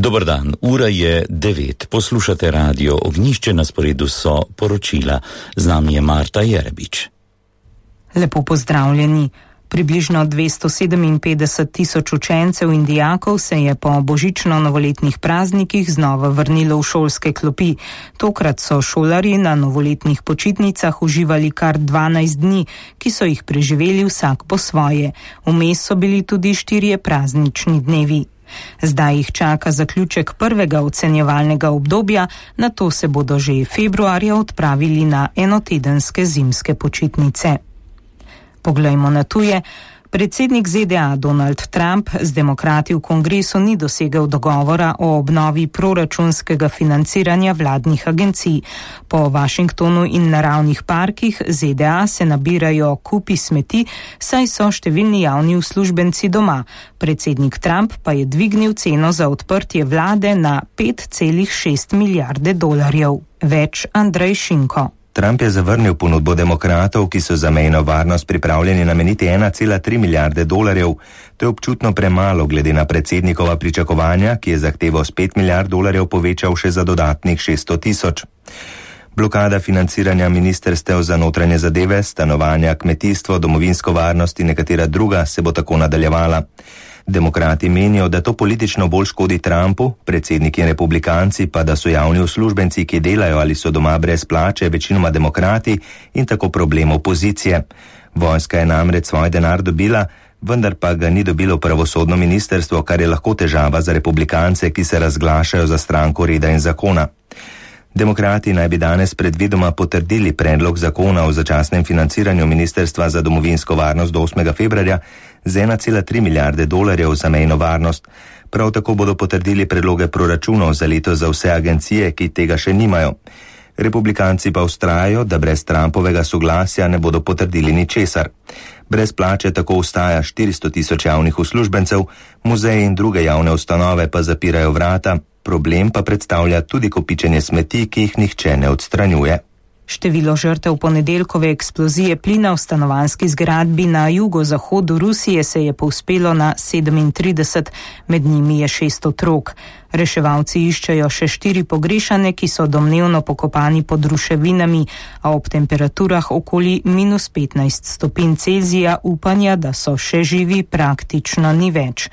Dober dan, ura je 9. Poslušate radio Ognjišče, na sporedu so poročila. Z nami je Marta Jerebič. Lepo pozdravljeni. Približno 257 tisoč učencev in dijakov se je po božično-novoletnih praznikih znova vrnilo v šolske klopi. Tokrat so šolarji na novoletnih počitnicah uživali kar 12 dni, ki so jih preživeli vsak po svoje. Vmes so bili tudi 4 praznični dnevi. Zdaj jih čaka zaključek prvega ocenjevalnega obdobja, nato se bodo že februarja odpravili na enotedenske zimske počitnice. Poglejmo na tuje. Predsednik ZDA Donald Trump z demokrati v kongresu ni dosegel dogovora o obnovi proračunskega financiranja vladnih agencij. Po Washingtonu in naravnih parkih ZDA se nabirajo kupi smeti, saj so številni javni uslužbenci doma. Predsednik Trump pa je dvignil ceno za odprtje vlade na 5,6 milijarde dolarjev. Več Andrej Šinko. Trump je zavrnil ponudbo demokratov, ki so za mejno varnost pripravljeni nameniti 1,3 milijarde dolarjev. To je občutno premalo glede na predsednikova pričakovanja, ki je zahtevo s 5 milijard dolarjev povečal še za dodatnih 600 tisoč. Blokada financiranja ministerstev za notranje zadeve, stanovanja, kmetijstvo, domovinsko varnost in nekatera druga se bo tako nadaljevala. Demokrati menijo, da to politično bolj škodi Trumpu, predsedniki in republikanci pa, da so javni uslužbenci, ki delajo ali so doma brez plače, večinoma demokrati in tako problem opozicije. Vojska je namreč svoj denar dobila, vendar pa ga ni dobilo pravosodno ministerstvo, kar je lahko težava za republikance, ki se razglašajo za stranko reda in zakona. Demokrati naj bi danes predvidoma potrdili predlog zakona o začasnem financiranju Ministerstva za domovinsko varnost do 8. februarja z 1,3 milijarde dolarjev za mejno varnost. Prav tako bodo potrdili predloge proračunov za leto za vse agencije, ki tega še nimajo. Republikanci pa vztrajajo, da brez Trumpovega soglasja ne bodo potrdili ničesar. Brez plače tako ostaja 400 tisoč javnih uslužbencev, muzeji in druge javne ustanove pa zapirajo vrata. Problem pa predstavlja tudi kopičenje smeti, ki jih nihče ne odstranjuje. Število žrtev ponedeljkove eksplozije plina v stanovanjski zgradbi na jugozahodu Rusije se je povzpelo na 37, med njimi je 6 otrok. Reševalci iščejo še 4 pogrešane, ki so domnevno pokopani pod ruševinami, a ob temperaturah okoli -15 stopinj Celzija upanja, da so še živi, praktično ni več.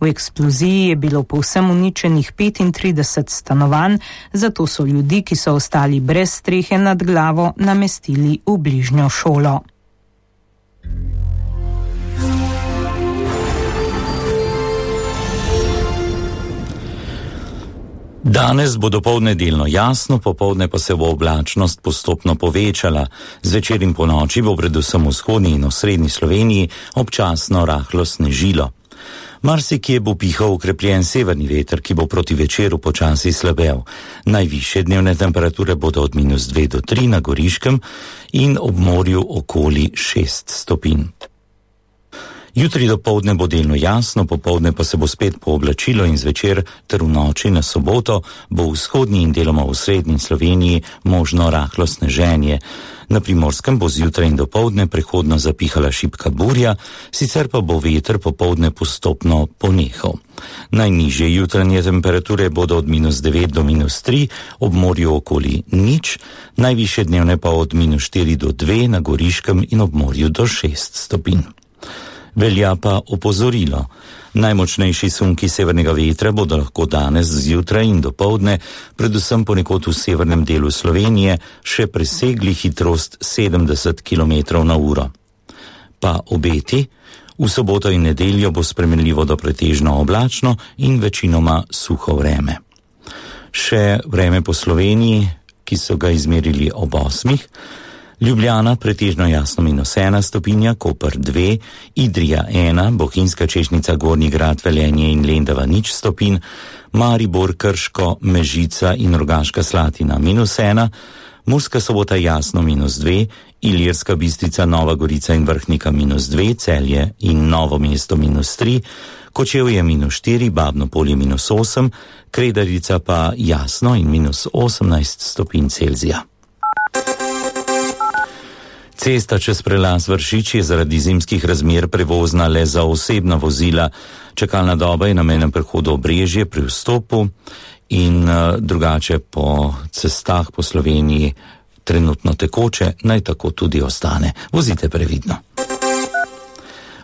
V eksploziji je bilo povsem uničenih 35 stanovanj, zato so ljudi, ki so ostali brez strehe nad glavo, namestili v bližnjo šolo. Danes bo dopoldne delno jasno, popoldne pa se bo oblačnost postopno povečala. Zvečer in ponoči bo predvsem v vzhodni in osrednji Sloveniji občasno rahlo snežilo. Marsikje bo pihal okrepljen severni veter, ki bo proti večeru počasi slabel. Najvišje dnevne temperature bodo od -2 do 3 na Goriškem in ob morju okoli 6 stopinj. Jutri dopoldne bo delno jasno, popoldne pa se bo spet pooblačilo in zvečer ter v noči na soboto bo v vzhodni in deloma v srednji Sloveniji možno rahlo sneženje. Na Primorskem bo zjutraj in dopoldne prehodno zapihala šibka burja, sicer pa bo veter popoldne postopno ponehal. Najnižje jutranje temperature bodo od -9 do -3, ob morju okoli 0, najvišje dnevne pa od -4 do 2 na Goriškem in ob morju do 6 stopinj. Velja pa opozorilo. Najmočnejši sunki severnega vetra bodo lahko danes zjutraj in dopoldne, predvsem ponekod v severnem delu Slovenije, še presegli hitrost 70 km/h. Pa obeti, v soboto in nedeljo bo spremenljivo do pretežno oblačno in večinoma suho vreme. Še vreme po Sloveniji, ki so ga izmerili ob 8. Ljubljana pretežno jasno -1 stopinja, Koper 2, Idrija 1, Bohinjska Češnica, Gornji Grad, Velenje in Lendava 0 stopinj, Maribor, Krško, Mežica in Rogaška Slatina -1, Murska Sobota jasno -2, Ilirska Bistrica, Nova Gorica in Vrhnika -2, Celje in Novo mesto -3, Kočevje -4, Babno Polje -8, Kredarica pa jasno in -18 stopinj Celzija. Cesta čez prelaz Vršič je zaradi zimskih razmer prevozna le za osebna vozila. Čakalna doba je na mejnem prehodu Obrežje pri vstopu in drugače po cestah po Sloveniji trenutno tekoče, naj tako tudi ostane. Vozite previdno.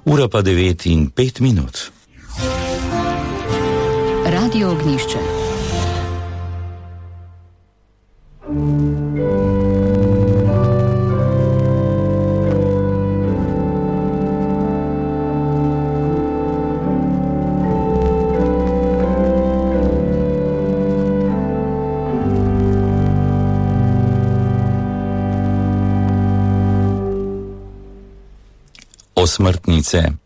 Ura pa 9:05. Radio Ognjišče. Osmrtnice.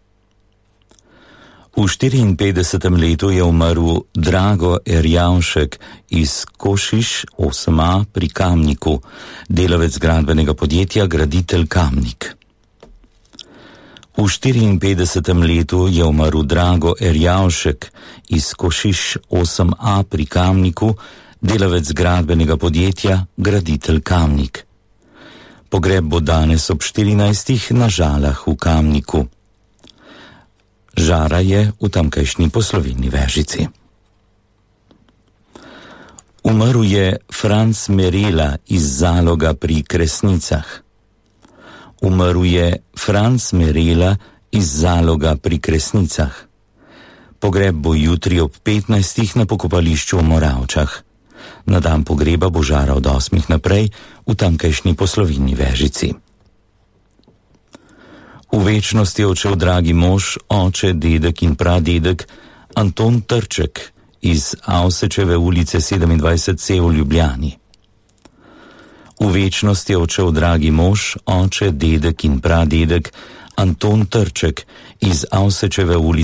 V 54. letu je umrl Drago Erjavšek iz Košiš 8a pri Kamniku, delavec gradbenega podjetja Graditelj Kamnik. V 54. letu je umrl Drago Erjavšek iz Košiš 8a pri Kamniku, delavec gradbenega podjetja Graditelj Kamnik. Pogreb bo danes ob 14. na Žalah v Kamniku. Žara je v tamkajšnji Poslovilni Vežici. Umrl je Franc Merela iz Zaloga pri Kresnicah. Umrl je Franc Merela iz Zaloga pri Kresnicah. Pogreb bo jutri ob 15. na pokopališču v Moravčah. Na dan pogreba bo žara od 8. naprej v tamkajšnji Poslovilni Vežici. V večnosti je odšel dragi mož, oče, dedek in pradedek Anton Trček iz Avsečeve ulice 27C v Ljubljani. V večnosti je odšel dragi mož, oče, dedek in pradedek Anton Trček iz Avsečeve ulice